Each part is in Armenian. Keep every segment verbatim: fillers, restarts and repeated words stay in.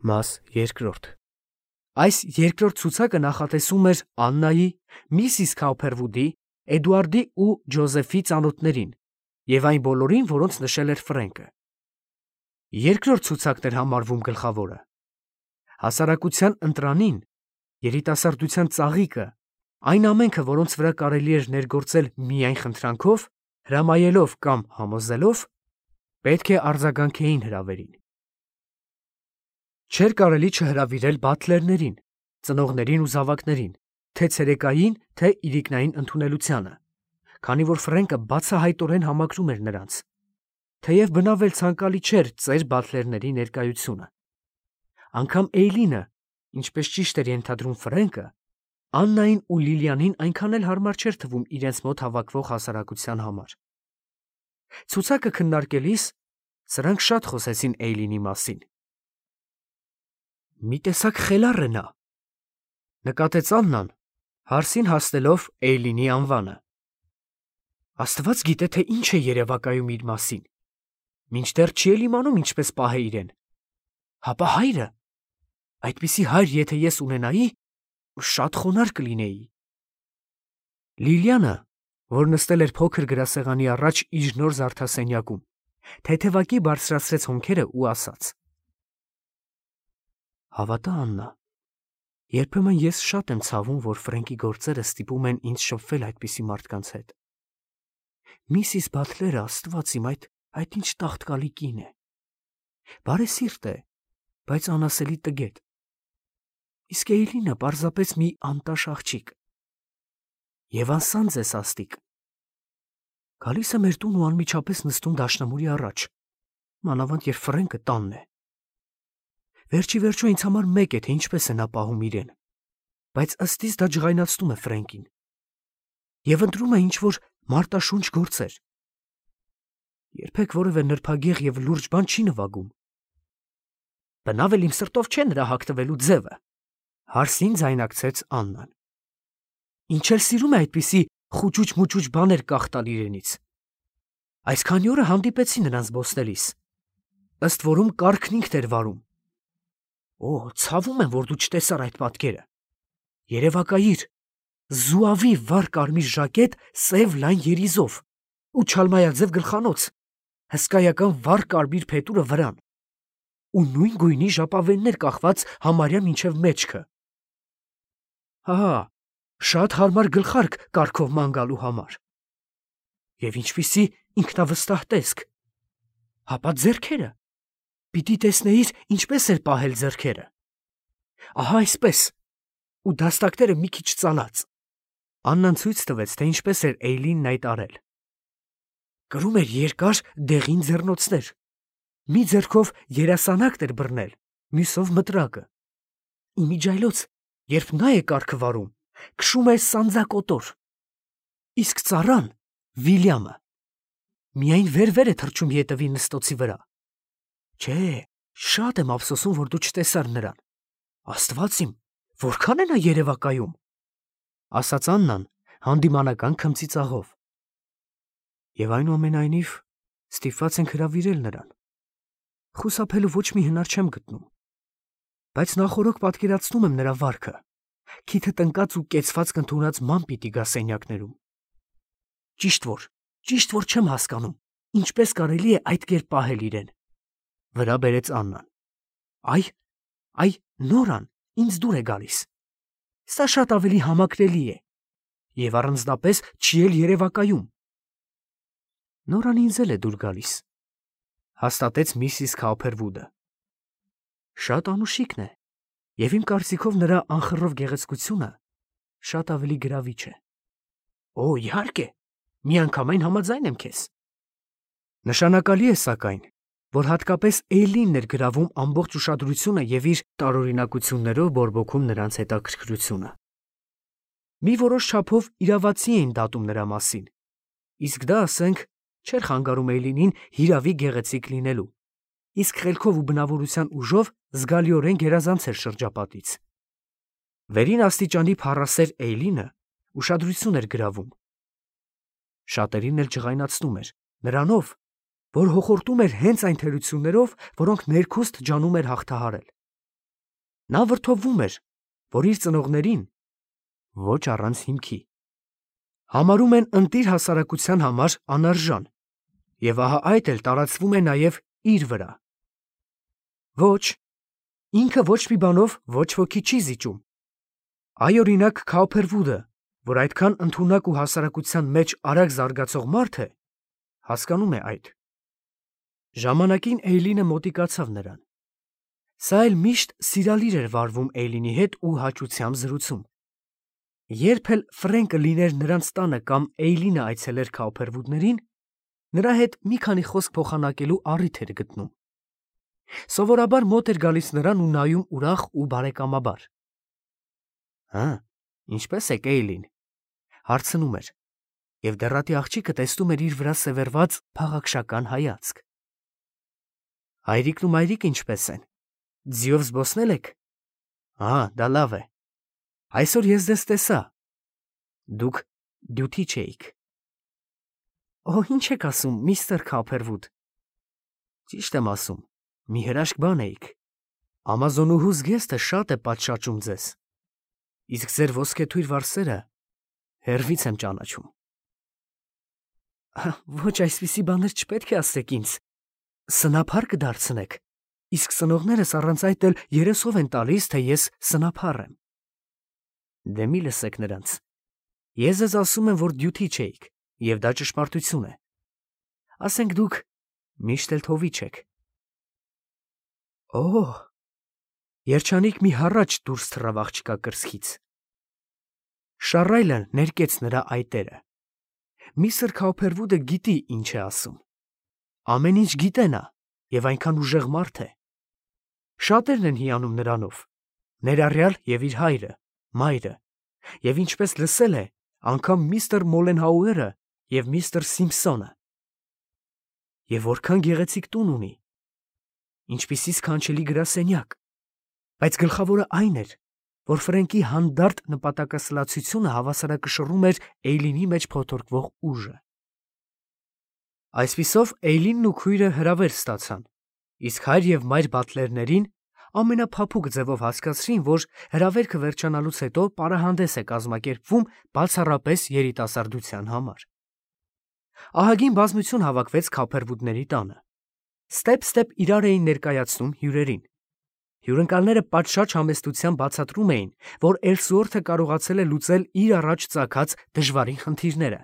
Մաս երկրորդ Այս երկրորդ ցուցակը նախատեսում էր Աննայի, Միսիս Քաուփերվուդի, Էդուարդի ու Ջոզեֆի ծանոթներին և այն բոլորին, որոնց նշել էր Ֆրենկը։ Երկրորդ ցուցակն էր համարվում գլխավորը։ Հասարակության ընտրանին, երիտասարդության ծաղիկը, այն ամենքը, որոնց վրա կարելի էր ներգործել միայն խնդրանքով, հրամայելով կամ համոզելով, պետք է արձագանքեին հրավերին։ Չէր կարելի չհրավիրել բաթլերներին, ծնողներին ու զավակներին, թե ցերեկային, թե իրիկնային ընդունելությանը, քանի որ Ֆրենկը բացահայտորեն համակրում էր նրանց, թեև բնավ էլ ցանկալի չէր ծեր բաթլերների ներկայությունը։ Անգամ Էյլինը, ինչպես ճիշտ էր ենթադրում Ֆրենկը, Աննային ու Լիլիանին այնքան էլ հարմար չէր թվում իրենց մոտ հավաքվող հասարակության համար։ Ցուցակը քննարկելիս սրանք շատ խոսեցին Էյլինի մասին։ Մի տեսակ խելառ է նա, նկատեց Աննան, հարսին հասնելով Էյլինի անվանը։ Աստված գիտե, թե ինչ է երևակայում իր մասին, մինչդեռ չի էլ իմանում ինչպես պահե իրեն։ Հապա հայրը, այդպիսի հայր եթե ես ունենայի, շատ խոնարհ կլինեի։ Լիլիանը, որ նստել էր փոքր գրասեղանի առաջ իր նոր զարդասենյակում, թեթևակի բարձրացրեց հոնքերը ու ասաց. Հավատա, Աննա, երբեմն ես շատ եմ ցավում, որ Ֆրենկի գործերը ստիպում են ինձ շփվել այդպիսի մարդկանց հետ։ Միսիս Բաթլերը, Աստված իմ, այդ այդ ինչ տաղտկալի կին է։ Բարեսիրտ է, բայց անասելի տգետ։ Իսկ Էյլինը պարզապես մի անտաշ աղջիկ։ Եվ անսանձ է սաստիկ։ Գալիս է մեր տուն ու անմիջապես նստում դաշնամուրի առաջ, մանավանդ երբ Ֆրենկը տանն է։ Վերջի վերջո ինձ համար մեկ է, թե ինչպես է նա պահում իրեն, բայց ըստիս դա ջղայնացնում է Ֆրենկին։ Եվ ընտրում է ինչ-որ մարտաշունչ գործեր։ Երբեք որևէ նրբագեղ և լուրջ բան չի նվագում։ Բնավ էլ իմ սրտով չէ նրա հագնվելու ձևը, հարսին ձայնարկեց Աննան։ Ինչ էլ սիրում է այդպիսի խուճուճ-մուճուճ բաներ կախտալ իրենից։ Այս քանի օրը հանդիպեցի նրան զբոսնելիս։ Ըստ որում կառքն ինքն էր վարում։ Օ, ցավում եմ, որ դու չտեսար այդ պատկերը։ Երևակայիր, զուավի վառ կարմիր ժակետ սև լայն երիզով ու չալմայաձև գլխանոց, հսկայական վառ կարմիր փետուրը վրան ու նույն գույնի ժապավեններ կախված համարյա մինչև մեջքը։ Հա, շատ հարմար գլխարկ կառքով ման գալու համար։ Եվ ինչպիսի ինքնավստահ տեսք։ Հապա ձեռքերը։ Պիտի տեսնեիր, ինչպես էր պահել ձեռքերը։ Ահա այսպես, ու դաստակները մի քիչ ծալած։ Աննան ցույց տվեց, թե ինչպես էր Էյլինն այդ արել։ Կրում էր երկար դեղին ձեռնոցներ։ Մի ձեռքով երասանակն էր բռնել, մյուսով մտրակը։ Իմիջայլոց, երբ նա է կառքը վարում, քշում է սանձակոտոր։ Իսկ ծառան, Վիլյամը, միայն վեր-վեր է թռչում ետևի նստոցի վրա։ Չէ, շատ եմ ափսոսում, որ դու չտեսար նրան։ Աստված իմ, որքան է նա երևակայում, ասաց Աննան հանդիմանական քմծիծաղով։ Եվ այնուամենայնիվ ստիպված ենք հրավիրել նրան։ Խուսափելու ոչ մի հնար չեմ գտնում։ Բայց նախօրոք պատկերացնում եմ նրա վարքը, քիթը տնկած ու կեցված կնդունած ման պիտի գա սենյակներում։ Ճիշտ որ, ճիշտ որ չեմ հասկանում, ինչպես կարելի է այդ կերպ պահել իրեն։ Վրա բերեց Աննան։ Այ, այ, Նորան ինձ դուր է գալիս։ Սա շատ ավելի համակրելի է։ Եվ առանձնապես չի էլ երևակայում։ Նորան ինձ էլ է դուր գալիս, հաստատեց Միսիս Քաուփերվուդը։ Շատ անուշիկն է, և իմ կարծիքով նրա անխռով գեղեցկությունը շատ ավելի գրավիչ է։ Օ, իհարկե, միանգամայն համաձայն եմ քեզ։ Նշանակալի է, սակայն, որ հատկապես Էյլինն էր գրավում ամբողջ ուշադրությունը և իր տարօրինակություններով բորբոքում նրանց հետաքրքրությունը։ Մի որոշ չափով իրավացի էին դատում նրա մասին, իսկ դա, ասենք, չէր խանգարում Էյլինին հիրավի գեղեցիկ լինելու, իսկ խելքով ու բնավորության ուժով զգալիորեն գերազանց էր շրջապատից։ Վերին աստիճանի փառասեր Էյլինը ուշադրություն էր գրավում։ Շատերին էլ ջղայնացնում էր, նրանով, որ հոխորտում էր հենց այն թերություններով, որոնք ներքուստ ջանում էր հաղթահարել։ Նա վրդովվում էր, որ իր ծնողներին ոչ առանց հիմքի համարում են ընտիր հասարակության համար անարժան, և ահա այդ էլ տարածվում է նաև իր վրա։ Ոչ, ինքը ոչ մի բանով ոչ ոքի չի զիջում։ Այ օրինակ Քաուփերվուդը, որ այդքան ընդունակ ու հասարակության մեջ արագ զարգացող մարդ է, հասկանում է այդ։ Ժամանակին Էյլինը մոտիկացավ նրան։ Սա էլ միշտ սիրալիր էր վարվում Էյլինի հետ ու հաճությամբ զրուցում։ Երբ էլ Ֆրենկը լիներ նրանց տանը կամ Էյլինը այցելեր Քաուփերվուդներին, նրա հետ մի քանի խոսք փոխանակելու առիթ էր գտնում։ Սովորաբար մոտ էր գալիս նրան ու նայում ուրախ ու բարեկամաբար։ Հա, ինչպե՞ս եք, Էյլին, հարցնում էր, և դեռատի աղջիկը տեսնում էր իր վրա սևեռված փաղաքշական հայացք։ Հայրիկն ու մայրիկ ինչպե՞ս են։ Ձիով զբոսնե՞լ եք։ Ահա, դա լավ է։ Այսօր ես ձեզ տեսա։ Դուք դյութիչ էիք։ Օ, ինչ եք ասում, միստր Քաուփերվուդ։ Ճիշտ եմ ասում, մի հրաշք բան էիք։ Ամազոնուհու զգեստը շատ է պատշաճում ձեզ, իսկ ձեր ոսկեթույր վարսերը հեռվից եմ ճանաչում։ Ոչ, այսպիսի բաներ չպետք է ասեք ինձ։ Սնափառ կդարձնեք, իսկ ծնողներս առանց այդ էլ երեսով են տալիս, թե ես սնափառ եմ։ Դե մի լսեք նրանց։ Ես ձեզ ասում եմ, որ դյութիչ էիք, և դա ճշմարտություն է։ Ասենք դուք միշտ էլ թովիչ եք։ Օ՜, երջանիկ մի հառաչ դուրս թռավ աղջկա կրծքից։ Շառայլը ներկեց նրա այտերը։ Միստր Քաուփերվուդը գիտի ինչ է ասում։ Ամեն ինչ գիտե նա, և այնքան ուժեղ մարդ է։ Շատերն են հիանում նրանով, ներառյալ և իր հայրը, մայրը, և ինչպես լսել է, անգամ միստր Մոլենհաուերը և միստր Սիմփսոնը։ Եվ որքան գեղեցիկ տուն ունի, ինչպիսի սքանչելի գրասենյակ, բայց գլխավորը այն էր, որ Ֆրենկի հանդարտ նպատակասլացությունը հավասարակշռում էր Էյլինի մեջ փոթորկվող ուժը։ Այսպիսով Էյլինն ու քույրը հրավեր ստացան, իսկ հայր և մայր բատլերներին ամենափափուկ ձևով հասկացրին, որ հրավերքը վերջանալուց հետո պարահանդես է կազմակերպվում բացառապես երիտասարդության համար։ Ահագին բազմություն հավաքվեց Քաուփերվուդների տանը։ Ստեպ-ստեպ իրար էին ներկայացնում հյուրերին։ Հյուրընկալները պատշաճ համեստությամբ բացատրում էին, որ Էլսուորթը կարողացել է լուծել իր առաջ ծագած դժվարին խնդիրները։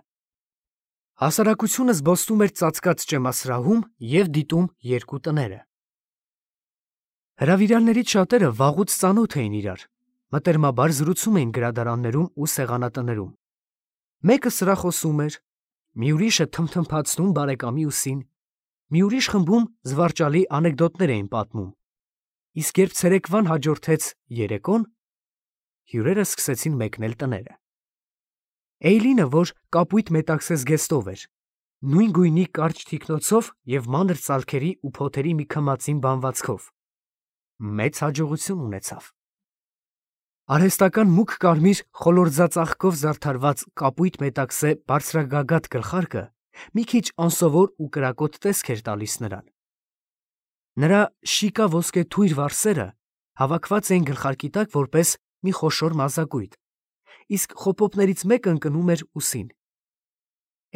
Հասարակությունը զբոսնում էր ծածկած ճեմասրահում և դիտում երկու տները։ Հրավիրյալներից շատերը վաղուց ծանոթ էին իրար, մտերմաբար զրուցում էին գրադարաններում ու սեղանատներում։ Մեկը սրախոսում էր, մի ուրիշը թմթմփացնում բարեկամի ուսին, մի ուրիշ խմբում զվարճալի անեկդոտներ էին պատմում, իսկ երբ ցերեկվան հաջորդեց երեկոն, հյուրերը սկսեցին մեկնել տները։ Էյլինը, որ կապույտ մետաքսե զգեստով էր, նույն գույնի կարճ թիկնոցով և մանր ծալքերի ու փոթերի մի քմածին բանվածքով, մեծ հաջողություն ունեցավ։ Արհեստական մուգ կարմիր խոլորձածաղկով զարդարված կապույտ մետաքսե բարձրագագաթ գլխարկը մի քիչ անսովոր ու կրակոտ տեսք էր տալիս նրան։ Նրա շիկա ոսկե թույր վարսերը հավաքված էին գլխարկի տակ որպես մի խոշոր մազակույտ, իսկ խոպոպներից մեկը ընկնում էր ուսին։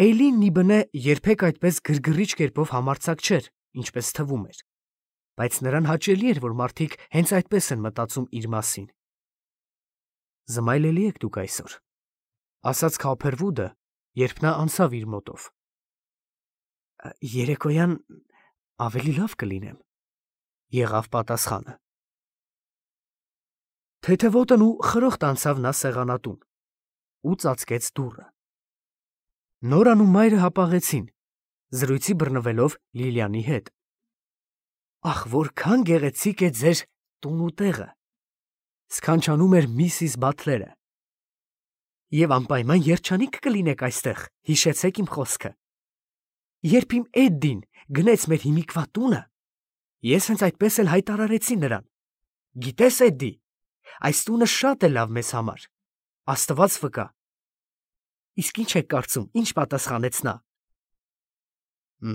Էյլինն ի բնե երբեք այդպես գրգռիչ կերպով համարձակ չէր, ինչպես թվում էր, բայց նրան հաճելի էր, որ մարդիկ հենց այդպես են մտածում իր մասին։ Զմայլելի եք դուք այսօր, ասաց Քաուփերվուդը, երբ նա անցավ իր մոտով։ Երեկոյան ավելի լավ կլինեմ, եղավ պատասխանը։ Թեթևոտն ու խրոխտ անցավ նա սեղանատուն ու ծածկեց դուռը։ Նորան ու մայրը հապաղեցին, զրույցի բռնվելով Լիլիանի հետ։ Ախ, որքան գեղեցիկ է ձեր տուն ու տեղը, սքանչանում էր միսիս Բաթլերը։ Եվ անպայման երջանիկ կլինեք այստեղ, հիշեցեք իմ խոսքը։ Երբ իմ Էդդին գնեց մեր հիմիկվա տունը, ես հենց այդպես էլ հայտարարեցի նրան. գիտես, Էդդի, այս տունը շատ է լավ մեզ համար, Աստված վկա։ Իսկ ինչ եք կարծում, ինչ պատասխանեց նա։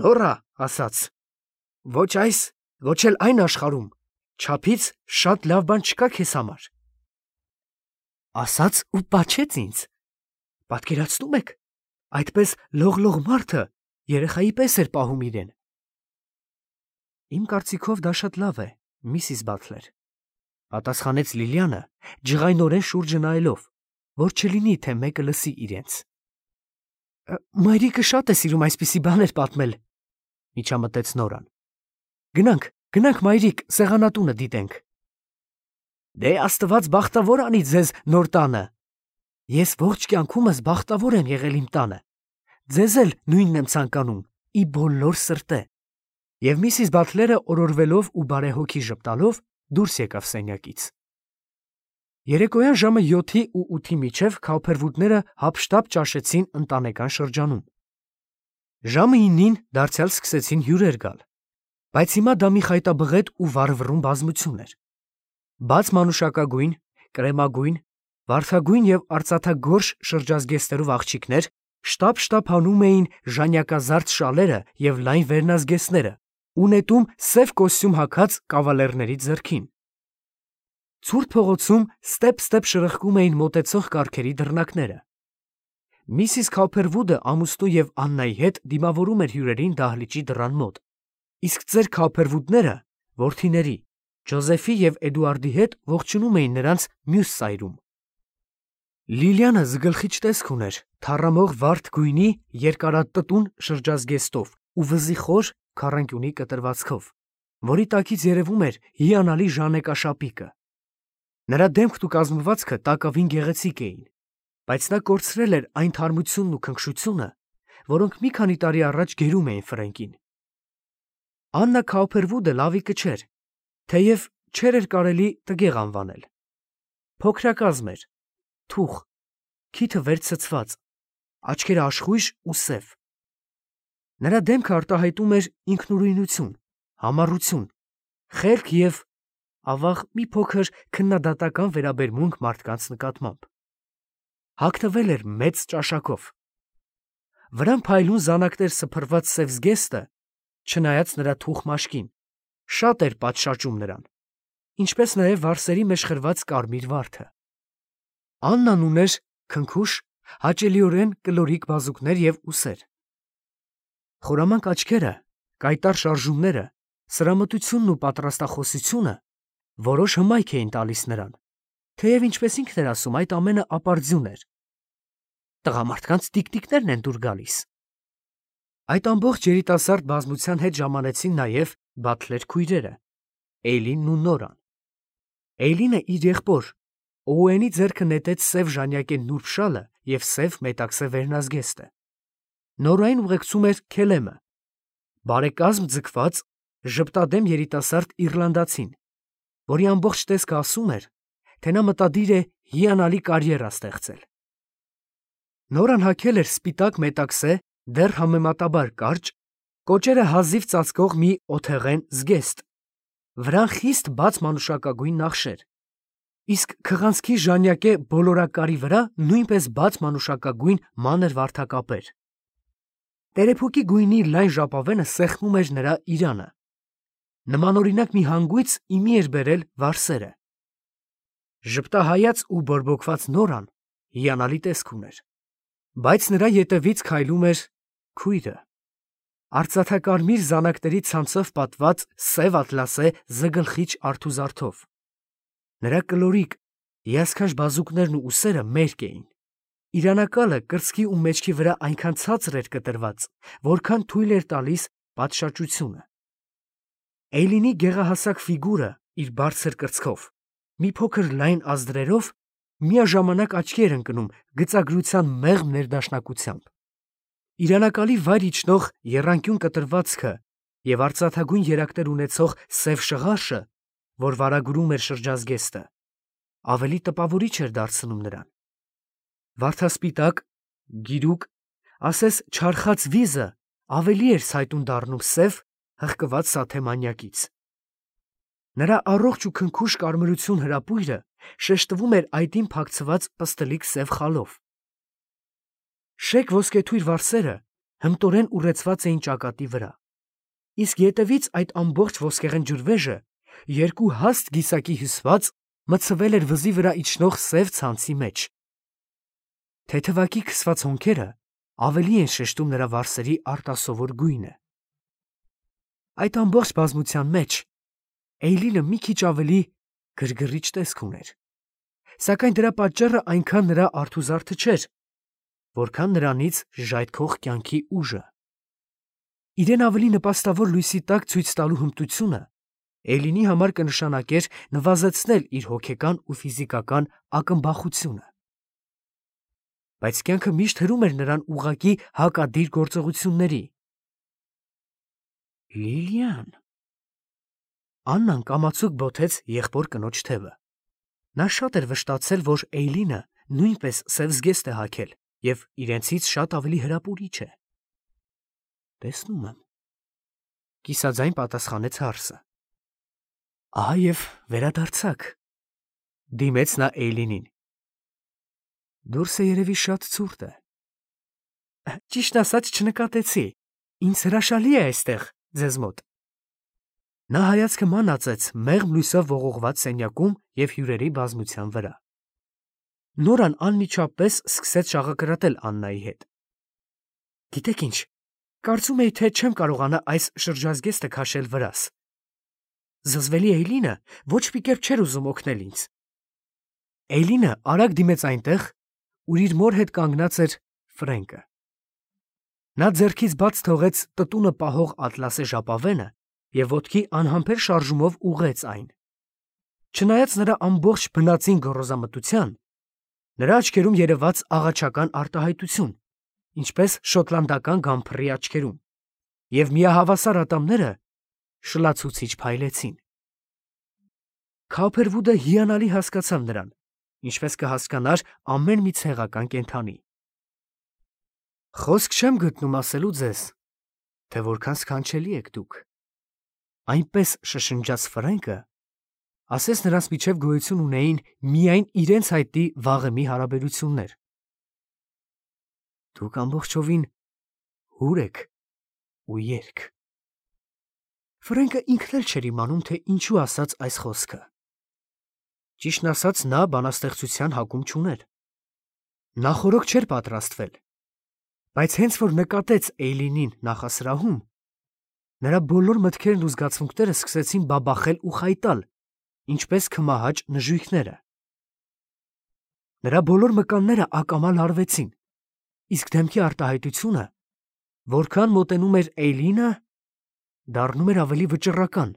Նորա ասաց. ոչ այս, ոչ էլ այն աշխարհում Չափից շատ լավ բան չկա քեզ համար։ Ասաց ու պաչեց ինձ։ Պատկերացնում եք, այդպես լողլող մարդը երեխայի պես էր պահում իրեն։ Իմ կարծիքով դա շատ լավ է, միսիս Բաթլեր, պատասխանեց Լիլիանը, ջղայնորեն շուրջը նայելով, որ չլինի, թե մեկը լսի իրենց։ Մայրիկը շատ է սիրում այսպիսի բաներ պատմել, միջամտեց Նորան։ Գնանք, գնանք մայրիկ, սեղանատունը դիտենք։ Դե Աստված բախտավոր անի ձեզ նոր տանը։ Ես ողջ կյանքումս բախտավոր եմ եղել իմ տանը։ Ձեզ էլ նույնն եմ ցանկանում, ի բոլոր սրտե։ Եվ միսիս Բաթլերը օրորվելով ու բարեհոգի ժպտալով դուրս եկավ սենյակից։ Երեկոյան ժամը յոթի ու ութի միջև Քաուփերվուդները հափշտապ ճաշեցին ընտանեկան շրջանում։ Ժամը իննին դարձյալ սկսեցին հյուրեր գալ, բայց հիմա դա մի խայտաբղետ ու վառվռուն բազմություն էր։ Բաց մանուշակագույն, կրեմագույն, վարդագույն և արծաթագորշ շրջազգեստերով աղջիկներ շտապ-շտապ հանում էին ժանյակազարդ շալերը և լայն վերնազգեստները ու նետում սև կոստյում հագած կավալերների ձեռքին։ Ցուրտ փողոցում ստեպ-ստեպ շրխկում էին մոտեցող կառքերի դռնակները։ Միսիս Քաուփերվուդը ամուսնու և Աննայի հետ դիմավորում էր հյուրերին դահլիճի դռան մոտ, իսկ ծեր Քաուփերվուդները որդիների, Ջոզեֆի և Էդուարդի հետ ողջունում էին նրանց մյուս սայրում։ Լիլիանը զգլխիչ տեսք ուներ թառամող վարդ գույնի երկարատտուն շրջազգեստով ու վզի խոր քառանկյունի կտրվածքով, որի տակից երևում էր հիանալի ժանեկաշապիկը։ Նրա դեմքն ու կազմվածքը տակավին գեղեցիկ էին, բայց նա կորցրել էր այն թարմությունն ու քնքշությունը, որոնք մի քանի տարի առաջ գերում էին Ֆրենկին։ Աննա Քաուփերվուդը լավիկը չէր, թեև չէր էր կարելի տգեղ անվանել։ Փոքրակազմ էր, թուխ, քիթը վեր ցցված, աչքերը աշխույժ ու սև։ Նրա դեմքը արտահայտում էր ինքնուրույնություն, համառություն, խելք և, ավաղ, մի փոքր քննադատական վերաբերմունք մարդկանց նկատմամբ։ Հագնվել էր մեծ ճաշակով։ Վրան փայլուն զանակներ սփռված սև զգեստը, չնայած նրա թուխ մաշկին, շատ էր պատշաճում նրան, ինչպես նաև վարսերի մեջ խրված կարմիր վարդը։ Աննան ուներ քնքուշ, հաճելիորեն կլորիկ բազուկներ և ուսեր։ Խորամանկ աչքերը, կայտառ շարժումները, սրամտությունն ու պատրաստախոսությունը որոշ հմայք էին տալիս նրան, թեև ինչպես ինքն էր ասում, այդ ամենը ապարդյուն էր։ Տղամարդկանց տիկտիկներն են դուր գալիս։ Այդ ամբողջ երիտասարդ բազմության հետ ժամանեցին նաև Բաթլեր քույրերը՝ Էյլինն ու Նորան։ Էյլինը իր եղբոր Օուենի ձեռքը նետեց սև ժանյակե նուրբ շալը և սև մետաքսե վերնազգեստը։ Նորային ուղեկցում էր Քելեմը, բարեկազմ ձգված, ժպտադեմ երիտասարդ իռլանդացին, որի ամբողջ տեսքը ասում էր, թե նա մտադիր է հիանալի կարիերա ստեղծել։ Նորան հագել էր սպիտակ մետաքսե, դեռ համեմատաբար կարճ, կոճերը հազիվ ծածկող մի օթեղեն զգեստ, վրան խիստ բաց մանուշակագույն նախշեր, իսկ քղանցքի ժանյակե բոլորակարի վրա նույնպես բաց մանուշակագույն մանր վարդակապեր։ Տերեփուկի գույնի լայն ժապավենը սեղմում էր նրա իրանը։ Նմանօրինակ մի հանգույց իմի էր բերել վարսերը։ Ժպտահայաց ու բորբոքված Նորան հիանալի տեսք ուներ, բայց նրա ետևից քայլում էր քույրը, արծաթակարմիր զանակների ցանցով պատված սև ատլասե զգլխիչ արթուզարդով։ Նրա կլորիկ, հիասքանչ բազուկներն ու ուսերը մերկ էին։ Իրանակալը կրծքի ու մեջքի վրա այնքան ցածր էր կտրված, որքան թույլ էր տալիս պատշաճությունը։ Էյլինի գեղահասակ ֆիգուրը իր բարձր կրծքով, մի փոքր լայն ազդրերով, միաժամանակ աչքի էր ընկնում գծագրության մեղմ ներդաշնակությամբ։ Իրանակալի վայր իջնող եռանկյուն կտրվածքը և արծաթագույն երակներ ունեցող սև շղարշը, որ վարագուրում էր շրջազգեստը, ավելի տպավորիչ էր դարձնում նրան։ Վարդասպիտակ, գիրուկ, ասես չարխած վիզը ավելի էր ցայտուն դառնում սև, հղկված սաթե մանյակից։ Նրա առողջ ու քնքուշ կարմրություն հրապույրը շեշտվում էր այդին փակցված պստլիկ սև խալով։ Շեկ ոսկեթույր վարսերը հմտորեն ուռեցված էին ճակատի վրա, իսկ ետևից այդ ամբողջ ոսկեղեն ջրվեժը երկու հաստ գիսակի հյուսված, մտցվել էր վզի վրա իջնող սև ցանցի մեջ։ Թեթևակի քսված հոնքերը ավելի են շեշտում նրա վարսերի արտասովոր գույնը։ Այդ ամբողջ բազմության մեջ Էյլինը մի քիչ ավելի գրգռիչ տեսք ուներ, սակայն դրա պատճառը այնքան նրա արթուզարդը չէր, որքան նրանից ժայթքող կյանքի ուժը։ Իրեն ավելի նպաստավոր լույսի տակ ցույց տալու հմտությունը Էյլինի համար կնշանակեր նվազեցնել իր հոգեկան ու ֆիզիկական ակնբախությունը։ Բայց կյանքը միշտ հրում էր նրան ուղղակի հակադիր գործողությունների։ Լիլիան… Աննան կամացուկ բոթեց եղբոր կնոջ թևը։ Նա շատ էր վշտացել, որ Էյլինը նույնպես սև զգեստ է հագել և իրենցից շատ ավելի հրապուրիչ է։ Տեսնում եմ, կիսաձայն պատասխանեց հարսը։ Ահա և վերադարձաք, դիմեց նա Էյլինին։ Դուրսը երևի շատ ցուրտ է։ Ճիշտ ասած չնկատեցի, ինձ հրաշալի է այստեղ ձեզ մոտ։ Նա հայացքը մանածեց մեղմ լույսով ողողված սենյակում և հյուրերի բազմության վրա։ Նորան անմիջապես սկսեց շաղակրատել Աննայի հետ։ Գիտեք ինչ, կարծում էի, թե չեմ կարողանա այս շրջազգեստը քաշել վրաս։ Զզվելի Էյլինը ոչ մի կերպ չէր ուզում օգնել ինձ։ Էյլինը արագ դիմեց այնտեղ, ուր իր մոր հետ կանգնած էր Ֆրենկը։ Նա ձեռքից բաց թողեց տտունը պահող ատլասե ժապավենը և ոտքի անհամբեր շարժումով ուղղեց այն։ Չնայած նրա ամբողջ բնածին գոռոզամտության, նրա աչքերում երևաց աղաչական արտահայտություն, ինչպես շոտլանդական գամփռի աչքերում, և միահավասար ատամները շլացուցիչ փայլեցին։ Քափերվուդը հիանալի հասկացավ նրան, ինչպես կհասկանար ամեն մի ցեղական կենդանի։ Խոսք չեմ գտնում ասելու ձեզ, թե որքան սքանչելի եք դուք, այնպես շշնջաց Ֆրենկը, ասես նրանց միջև գոյություն ունեին միայն իրենց հայտնի վաղեմի հարաբերություններ։ Դուք ամբողջովին հուր եք ու երգ։ Ֆրենկը ինքն էլ չէր իմանում, թե ինչու ասաց այս խոսքը։ Ճիշտն ասած, նա բանաստեղծության հակում չուներ։ Նա խորոք չէր պատրաստվել, բայց հենց որ նկատեց Էյլինին նախասրահում, նրա բոլոր մտքերն ու զգացմունքները սկսեցին բաբախել ու խայտալ, ինչպես քմահաճ նժույգները։ Նրա բոլոր մկանները ակամա լարվեցին, իսկ դեմքի արտահայտությունը, որքան մոտենում էր Էյլինը, դառնում էր ավելի վճռական,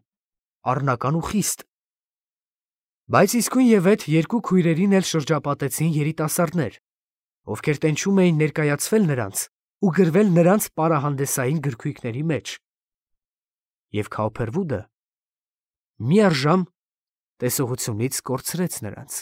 առնական ու խիստ։ Բայց իսկույնևեթ երկու քույրերին էլ շրջապատեցին երիտասարդներ, ովքեր տենչում էին ներկայացվել նրանց ու գրվել նրանց պարահանդեսային գրքույկների մեջ։ Եվ Քաուփերվուդը միառժամ տեսողությունից կորցրեց նրանց։